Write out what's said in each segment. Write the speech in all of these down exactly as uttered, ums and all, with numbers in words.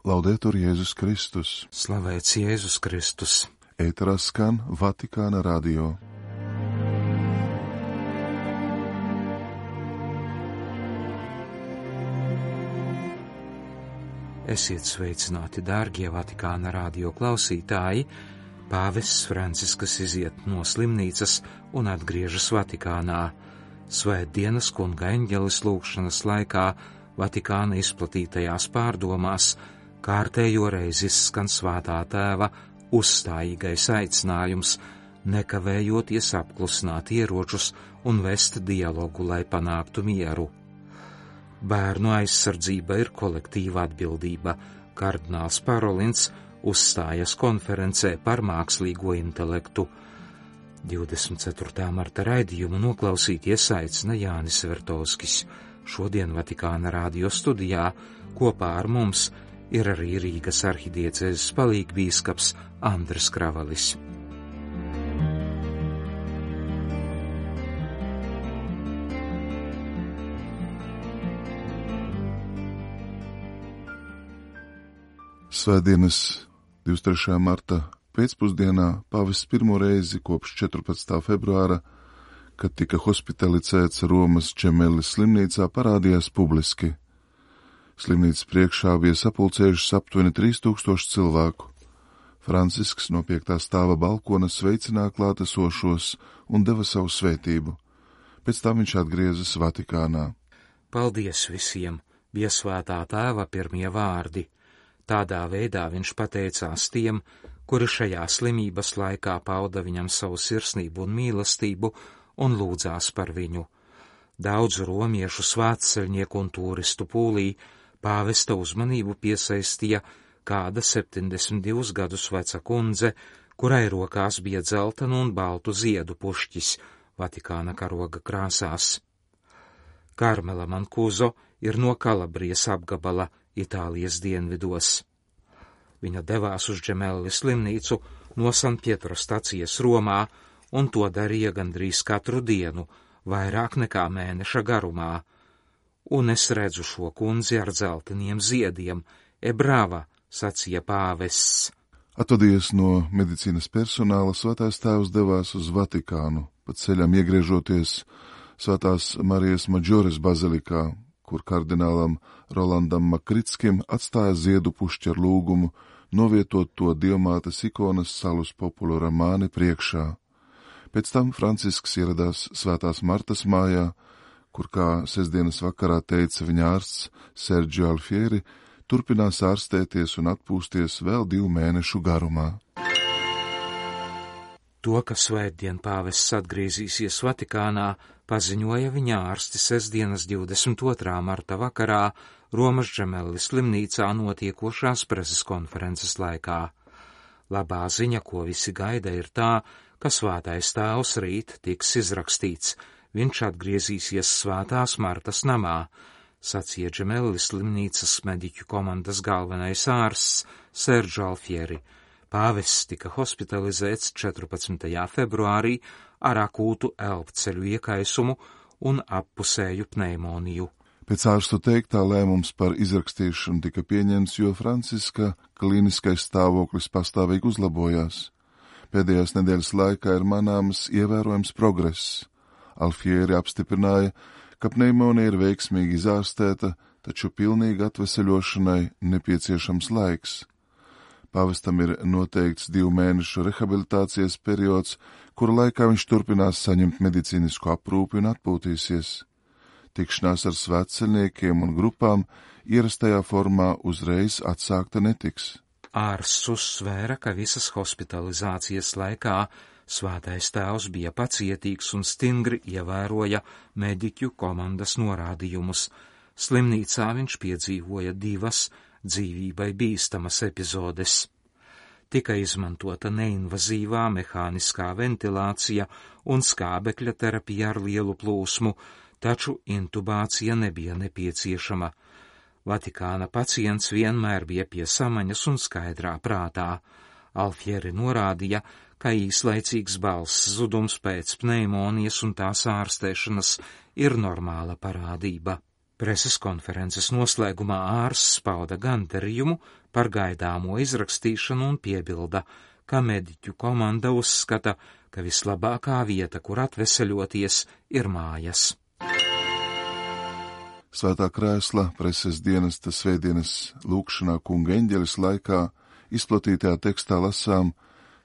Laudetur Jēzus Kristus. Slavēts Jēzus Kristus. Ēterā skan Vatikāna radio. Esiet sveicināti, dārgie Vatikāna radio klausītāji. Pāvests Francisks iziet no slimnīcas un atgriežas Vatikānā. Svētdienas kunga eņģeles lūgšanas laikā Vatikāna izplatītajās pārdomās kārtējo reizi izskan Svētā Tēva uzstājīgais aicinājums nekavējoties apklusināt ieročus un vest dialogu, lai panāktu mieru. Bērnu aizsardzība ir kolektīva atbildība. Kardināls Parolins uzstājas konferencē par mākslīgo intelektu. divdesmit ceturtā marta raidījumu noklausīties aicina Jānis Vertovskis. Šodien Vatikāna radio studijā kopā ar mums ir arī Rīgas arhidiecēzes palīgbīskaps Andris Kravalis. Svētdienas divdesmit trešā marta pēcpusdienā pāvests pirmo reizi kopš četrpadsmitā februāra, kad tika hospitalizēts Romas Džemelis slimnīcā, parādījās publiski. Slimnīcas priekšā bija sapulcējušas aptuveni trīs tūkstoši cilvēku. Francisks no piektā stāva balkona sveicināja klātesošos un deva savu svētību. Pēc tam viņš atgriezas Vatikānā. Paldies visiem, bija Svētā Tēva pirmie vārdi. Tādā veidā viņš pateicās tiem, kuri šajā slimības laikā pauda viņam savu sirsnību un mīlestību un lūdzās par viņu. Daudzu romiešu svētceļnieku un turistu pūlī pāvesta uzmanību piesaistīja kāda septiņdesmit divus gadus veca kundze, kurai rokās bija dzeltenu un baltu ziedu pušķis Vatikāna karoga krāsās. Karmela Mankuzo ir no Kalabrijas apgabala Itālijas dienvidos. Viņa devās uz Džemeli slimnīcu no San Pietro stacijas Romā, un to darīja gandrīz katru dienu, vairāk nekā mēneša garumā. Un es redzu šo kundzi ar dzelteniem ziediem. E brava, sacīja pāvests. Atvadies no medicīnas personāla, Svētais Tēvs devās uz Vatikānu, pa ceļam iegriežoties Svētās Marijas Maģores bazilikā, kur kardinālam Rolandam Makritskim atstāja ziedu pušķi ar lūgumu novietot to Dievmātes ikonas Salus Populu Romāni priekšā. Pēc tam Francisks ieradās Svētās Martas mājā, kur, kā sestdienas vakarā teica viņa ārsts Sergio Alfieri, turpinās ārstēties un atpūsties vēl divu mēnešu garumā. To, ka svētdien pāvests atgriezīsies Vatikānā, paziņoja viņa ārsti sestdienas divdesmit otrā marta vakarā Romas Džemeli slimnīcā notiekošās preses konferences laikā. Labā ziņa, ko visi gaida, ir tā, ka Svētais Tēvs rīt tiks izrakstīts. Viņš atgriezīsies Svētās Martas namā, sacīja Džemeli slimnīcas mediķu komandas galvenais ārsts Sergio Alfieri. Pāvests tika hospitalizēts četrpadsmitajā februārī ar akūtu elpceļu iekaisumu un appusēju pneimoniju. Pēc ārstu teiktā lēmums par izrakstīšanu tika pieņemts, jo Franciska klīniskais stāvoklis pastāvīgi uzlabojās. Pēdējās nedēļas laikā ir manāms ievērojams progress. Alfieri apstiprināja, ka pneimonija ir veiksmīgi izārstēta, taču pilnīgi atveseļošanai nepieciešams laiks. Pāvestam ir noteikts divu mēnešu rehabilitācijas periods, kura laikā viņš turpinās saņemt medicīnisku aprūpi un atpūtīsies. Tikšanās ar svētceļniekiem un grupām ierastajā formā uzreiz atsākta netiks. Ārsts uzsvēra, ka visas hospitalizācijas laikā Svētais Tēvs bija pacietīgs un stingri ievēroja mediķu komandas norādījumus. Slimnīcā viņš piedzīvoja divas dzīvībai bīstamas epizodes. Tika izmantota neinvazīvā mehāniskā ventilācija un skābekļa terapija ar lielu plūsmu, taču intubācija nebija nepieciešama. Vatikāna pacients vienmēr bija pie samaņas un skaidrā prātā. Alfieri norādīja, ka īslaicīgs balss zudums pēc pneimonijas un tās ārstēšanas ir normāla parādība. Preses konferences noslēgumā ārsts pauda gandarījumu par gaidāmo izrakstīšanu un piebilda, ka mediķu komanda uzskata, ka vislabākā vieta, kur atveseļoties, ir mājas. Svētā krēsla preses dienesta svētdienas lūkšanā Kunga eņģelis laikā izplatītajā tekstā lasām,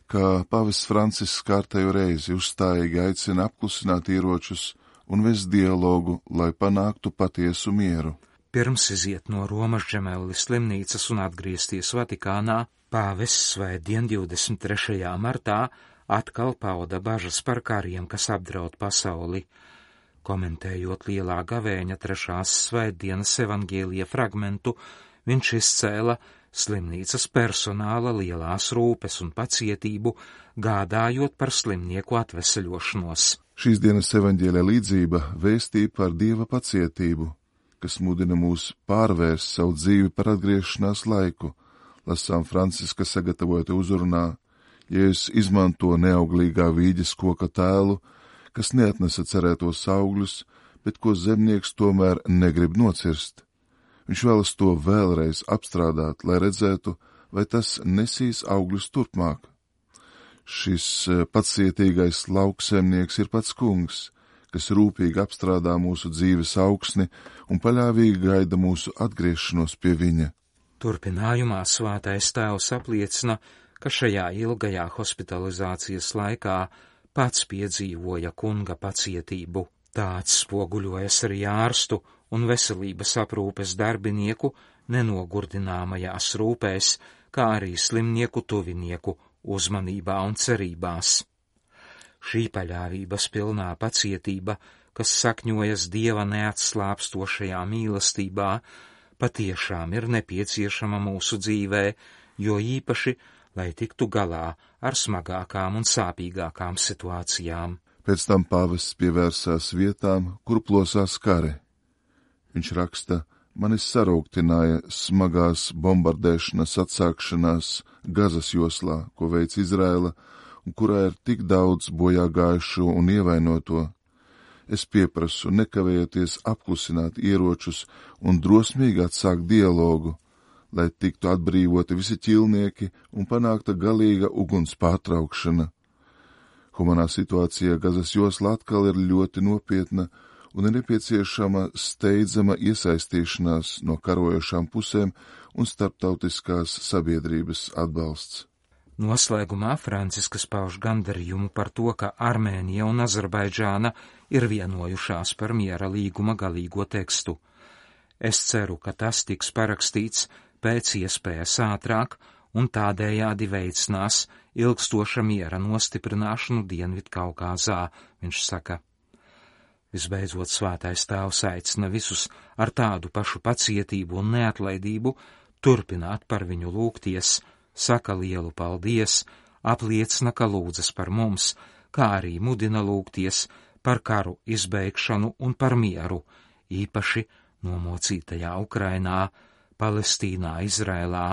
ka pavests Francisks kārtējo reizi uzstājīgi aicina apklusināt ieročus un vest dialogu, lai panāktu patiesu mieru. Pirms iziet no Romas Džemelli slimnīcas un atgriezties Vatikānā, pāvests svētdien divdesmit trešajā martā atkal pauda bažas par kariem, kas apdraud pasauli. Komentējot lielā gavēņa trešās svētdienas evaņģēlija fragmentu, viņš izcēla slimnīcas personāla lielās rūpes un pacietību, gādājot par slimnieku atveseļošanos. Šīs dienas evaņģēlija līdzība vēstīja par Dieva pacietību, kas mudina mūs pārvērst savu dzīvi par atgriešanās laiku. Lasām Franciska sagatavota uzrunā, Jēzus izmanto neauglīgā vīģes koka tēlu, kas neatnesa cerētos augļus, bet ko zemnieks tomēr negrib nocirst. Viņš vēlas to vēlreiz apstrādāt, lai redzētu, vai tas nesīs augļus turpmāk. Šis pacietīgais lauksemnieks ir pats Kungs, kas rūpīgi apstrādā mūsu dzīves augsni un paļāvīgi gaida mūsu atgriešanos pie viņa. Turpinājumā Svētais Tēvs apliecina, ka šajā ilgajā hospitalizācijas laikā pats piedzīvoja Kunga pacietību. Tāds spoguļojas arī ārstu un veselības aprūpes darbinieku nenogurdināmajās rūpēs, kā arī slimnieku tuvinieku uzmanībā un cerībās. Šī paļāvības pilnā pacietība, kas sakņojas Dieva neatslāpstošajā mīlestībā, patiešām ir nepieciešama mūsu dzīvē, jo īpaši, lai tiktu galā ar smagākām un sāpīgākām situācijām. Pēc tam pāvests pievērsās vietām, kur plosās kari. Viņš raksta, mani sarūktināja smagās bombardēšanas atsākšanās Gazas joslā, ko veic Izraela, un kurā ir tik daudz bojā gājušo un ievainoto. Es pieprasu nekavējoties apklusināt ieročus un drosmīgi atsākt dialogu, lai tiktu atbrīvoti visi ķilnieki un panākta galīga uguns pārtraukšana. Humanā situācija Gazas joslā atkal ir ļoti nopietna un ir nepieciešama steidzama iesaistīšanās no karojošām pusēm un starptautiskās sabiedrības atbalsts. Noslēgumā Franciskas pauž gandarījumu par to, ka Armēnija un Azerbaidžāna ir vienojušās par miera līguma galīgo tekstu. Es ceru, ka tas tiks parakstīts pēc iespējas ātrāk un tādējādi veicinās ilgstoša miera nostiprināšanu Dienvidkaukāzā, viņš saka. Visbeidzot, Svētais Tēvs aicina visus ar tādu pašu pacietību un neatlaidību turpināt par viņu lūgties, saka lielu paldies, apliecina, ka lūdzas par mums, kā arī mudina lūgties par karu izbeigšanu un par mieru, īpaši nomocītajā Ukrainā, Palestīnā, Izrēlā,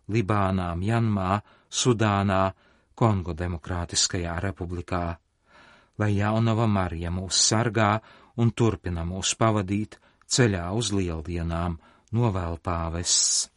Libānā, Mjanmā, Sudānā, Kongo Demokrātiskajā republikā. Lai jaunava Marija mūs sargā un turpina mūs pavadīt ceļā uz lieldienām, novēl pāvests.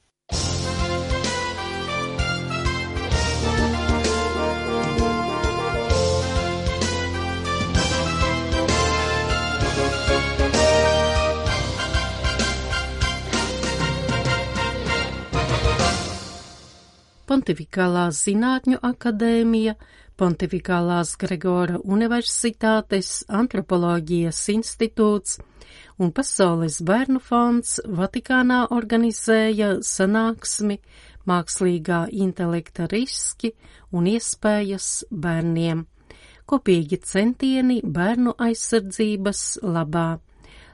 Pontifikālās zinātņu akadēmija, Pontifikālās Gregora universitātes, Antropoloģijas institūts un Pasaules bērnu fonds Vatikānā organizēja sanāksmi Mākslīgā intelekta riski un iespējas bērniem. Kopīgi centieni bērnu aizsardzības labā.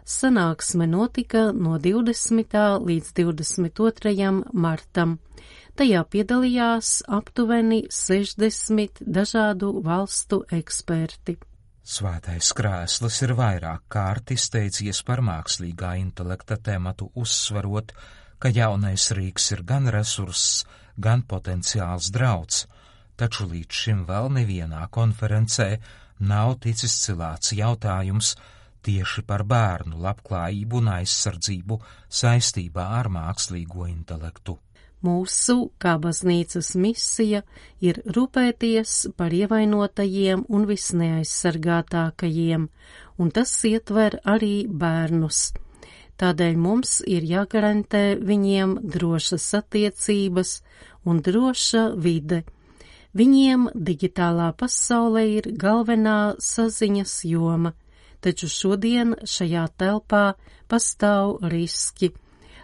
Sanāksme notika no divdesmitā līdz divdesmit otrajam martam. Tajā piedalījās aptuveni sešdesmit dažādu valstu eksperti. Svētais krēsls ir vairāk kārt izteicies par mākslīgā intelekta tematu, uzsverot, ka jaunais rīks ir gan resurss, gan potenciāls drauds, taču līdz šim vēl nevienā konferencē nav ticis cilāts jautājums, tieši par bērnu labklājību un aizsardzību saistībā ar mākslīgo intelektu. Mūsu, kā baznīcas misija, ir rūpēties par ievainotajiem un visneaizsargātākajiem, un tas ietver arī bērnus. Tādēļ mums ir jāgarantē viņiem drošas attiecības un droša vide. Viņiem digitālā pasaulē ir galvenā saziņas joma, taču šodien šajā telpā pastāv riski,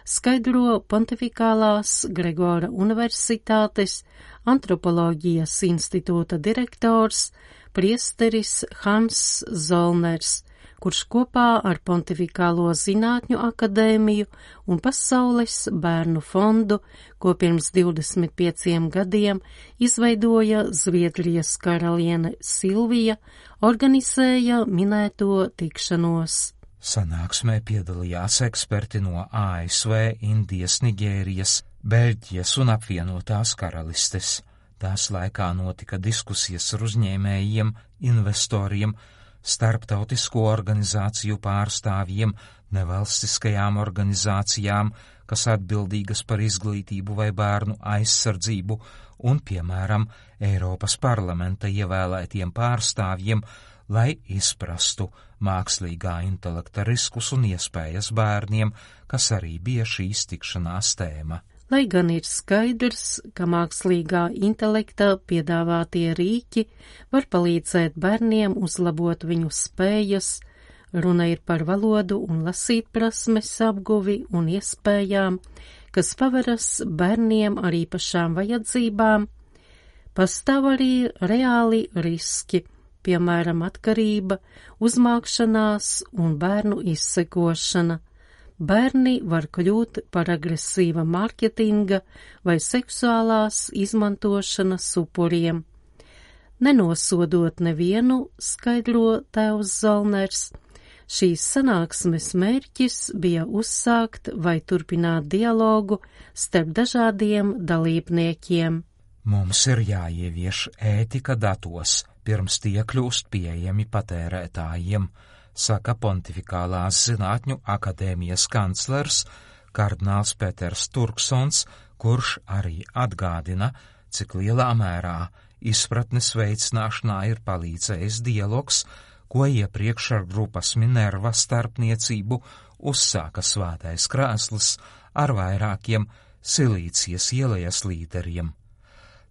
skaidro Pontifikālās Gregora Universitātes antropoloģijas institūta direktors priesteris Hans Zolners, kurš kopā ar Pontifikālo zinātņu akadēmiju un Pasaules bērnu fondu, ko pirms divdesmit pieciem gadiem izveidoja Zviedrijas karaliene Silvija, organizēja minēto tikšanos. Sanāksmē piedalījās eksperti no A S V, Indijas, Nigērijas, Beļģijas un apvienotās karalistes. Tās laikā notika diskusijas ar uzņēmējiem, investoriem, starptautisko organizāciju pārstāvjiem, nevalstiskajām organizācijām, kas atbildīgas par izglītību vai bērnu aizsardzību, un, piemēram, Eiropas parlamenta ievēlētiem pārstāvjiem, lai izprastu mākslīgā intelekta riskus un iespējas bērniem, kas arī bija šīs tikšanās tēma. Lai gan ir skaidrs, ka mākslīgā intelekta piedāvātie rīki var palīdzēt bērniem uzlabot viņu spējas, runa ir par valodu un lasīt prasmes apguvi un iespējām, kas paveras bērniem ar īpašām vajadzībām, pastāv arī reāli riski, piemēram, atkarība, uzmākšanās un bērnu izsekošana. Bērni var kļūt par agresīva mārketinga vai seksuālās izmantošanas upuriem. Nenosodot nevienu, skaidro tēvs Zolners, šīs sanāksmes mērķis bija uzsākt vai turpināt dialogu starp dažādiem dalībniekiem. Mums ir jāievieš ētika datos, pirms tie kļūst pieejami patērētājiem, saka Pontifikālās zinātņu akadēmijas kanclers kardināls Peters Turksons, kurš arī atgādina, cik lielā mērā izpratnes veicināšanā ir palīdzējis dialogs, ko iepriekš ar grupas Minerva starpniecību uzsāka Svētais krēsls ar vairākiem Silīcijas ielejas līderiem.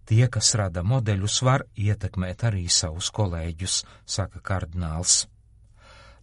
Tie, kas rada modeļus, var ietekmēt arī savus kolēģus, saka kardināls.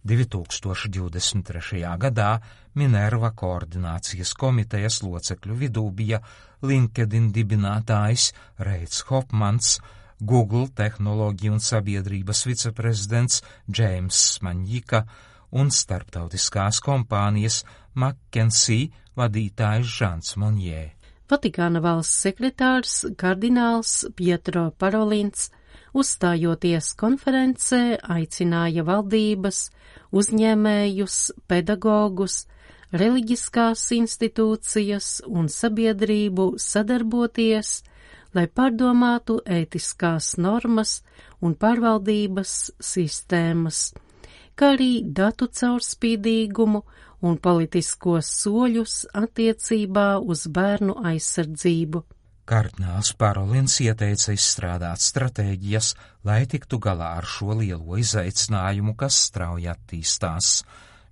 divi tūkstoši divdesmit trešajā gadā Minerva koordinācijas komitejas locekļu vidū bija LinkedIn dibinātājs Reits Hopmans, Google tehnoloģiju un sabiedrības viceprezidents Džeims Maņika un starptautiskās kompānijas McKinsey vadītājs Žants Monjē. Vatikāna valsts sekretārs kardināls Pietro Parolins, uzstājoties konferencē, aicināja valdības, uzņēmējus, pedagogus, reliģiskās institūcijas un sabiedrību sadarboties, lai pārdomātu ētiskās normas un pārvaldības sistēmas, kā arī datu caurspīdīgumu un politiskos soļus attiecībā uz bērnu aizsardzību. Kardināls Parolins ieteica izstrādāt stratēģijas, lai tiktu galā ar šo lielo izaicinājumu, kas strauji attīstās.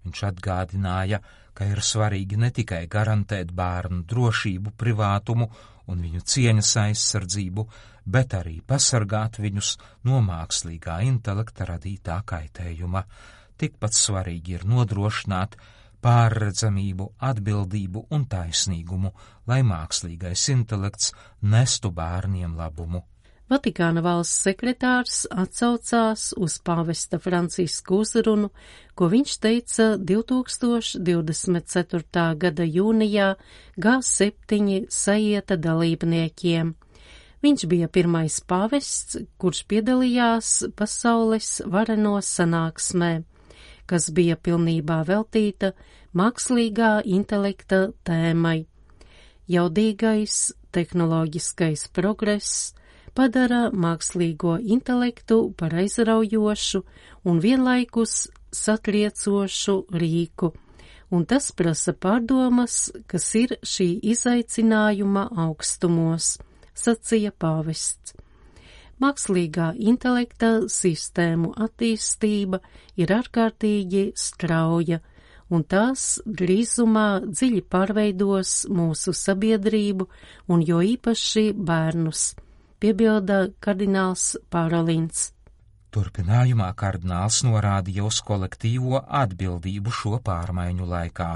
Viņš atgādināja, ka ir svarīgi ne tikai garantēt bērnu drošību, privātumu un viņu cieņas aizsardzību, bet arī pasargāt viņus no mākslīgā intelekta radītā kaitējuma. Tikpat svarīgi ir nodrošināt pārredzamību, atbildību un taisnīgumu, lai mākslīgais intelekts nestu bērniem labumu. Vatikāna valsts sekretārs atsaucās uz pāvesta Franciska uzrunu, ko viņš teica divi tūkstoši divdesmit ceturtā gada jūnijā G septiņi sajieta dalībniekiem. Viņš bija pirmais pāvests, kurš piedalījās pasaules vareno sanāksmē, kas bija pilnībā veltīta mākslīgā intelekta tēmai. Jaudīgais tehnoloģiskais progress padara mākslīgo intelektu par aizraujošu un vienlaikus satriecošu rīku, un tas prasa pārdomas, kas ir šī izaicinājuma augstumos, sacīja pāvests. Mākslīgā intelekta sistēmu attīstība ir ārkārtīgi strauja, un tās drīzumā dziļi pārveidos mūsu sabiedrību un jo īpaši bērnus, piebilda kardināls Parolins. Turpinājumā kardināls norādīja uz kolektīvo atbildību šo pārmaiņu laikā.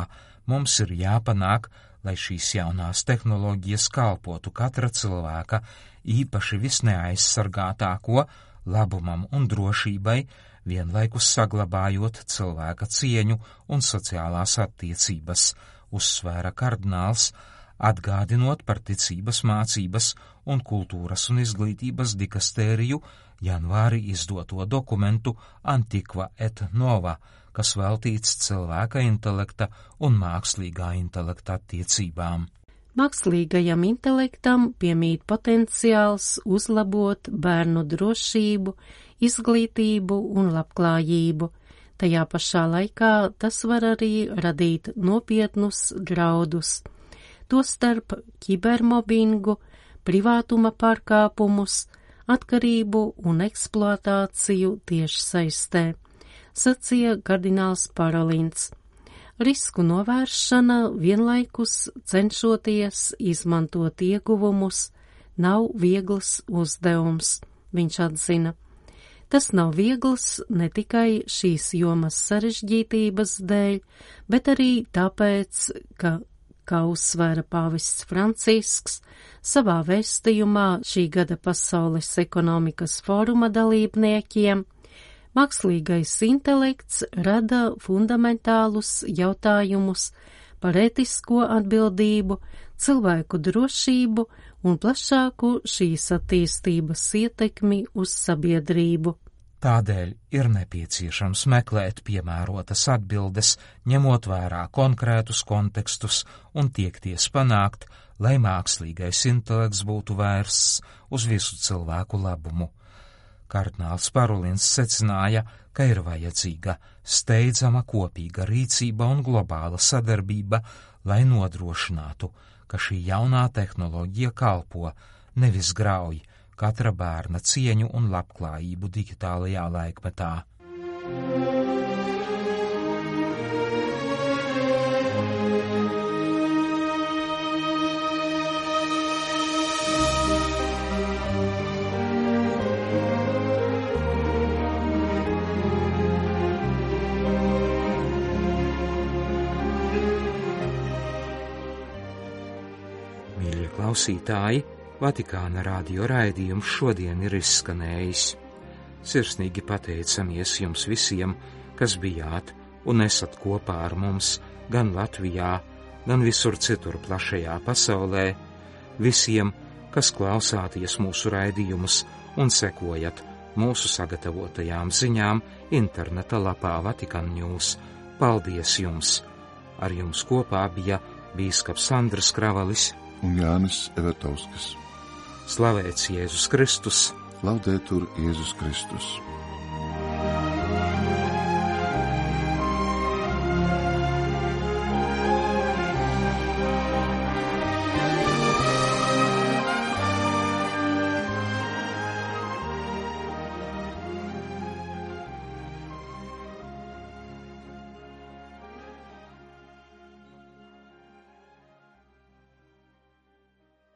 Mums ir jāpanāk, lai šīs jaunās tehnoloģijas kalpotu katra cilvēka, īpaši visneaizsargātāko, labumam un drošībai, vienlaikus saglabājot cilvēka cieņu un sociālās attiecības, uzsvēra kardināls, atgādinot par ticības mācības un kultūras un izglītības dikastēriju janvārī izdoto dokumentu Antiqua et Nova, kas veltīts cilvēka intelekta un mākslīgā intelekta attiecībām. Mākslīgajam intelektam piemīt potenciāls uzlabot bērnu drošību, izglītību un labklājību. Tajā pašā laikā tas var arī radīt nopietnus draudus, tostarp kibermobbingu, privātuma pārkāpumus, atkarību un eksploatāciju tiešsaistē, sacīja kardināls Parolins. Risku novēršana vienlaikus cenšoties izmantot ieguvumus nav viegls uzdevums, viņš atzina. Tas nav viegls ne tikai šīs jomas sarežģītības dēļ, bet arī tāpēc, ka, kā uzsvēra pāvests Francisks, savā vēstījumā šī gada Pasaules ekonomikas fóruma dalībniekiem, mākslīgais intelekts rada fundamentālus jautājumus par ētisko atbildību, cilvēku drošību un plašāku šīs attīstības ietekmi uz sabiedrību. Tādēļ ir nepieciešams meklēt piemērotas atbildes, ņemot vērā konkrētus kontekstus un tiekties panākt, lai mākslīgais intelekts būtu vērsts uz visu cilvēku labumu. Kardināls Parolins secināja, ka ir vajadzīga steidzama kopīga rīcība un globāla sadarbība, lai nodrošinātu, ka šī jaunā tehnoloģija kalpo, nevis grauj katra bērna cieņu un labklājību digitālajā laikmetā. Mīļie klausītāji, Vatikāna radio raidījums šodien ir izskanējis. Sirsnīgi pateicamies jums visiem, kas bijāt un esat kopā ar mums gan Latvijā, gan visur citur plašajā pasaulē, visiem, kas klausāties mūsu raidījumus un sekojat mūsu sagatavotajām ziņām interneta lapā Vatikan News. Paldies jums! Ar jums kopā bija bīskaps Andris Kravalis un Jānis Evertovskis. Slavēts Jēzus Kristus! Laudetur Jēzus Kristus!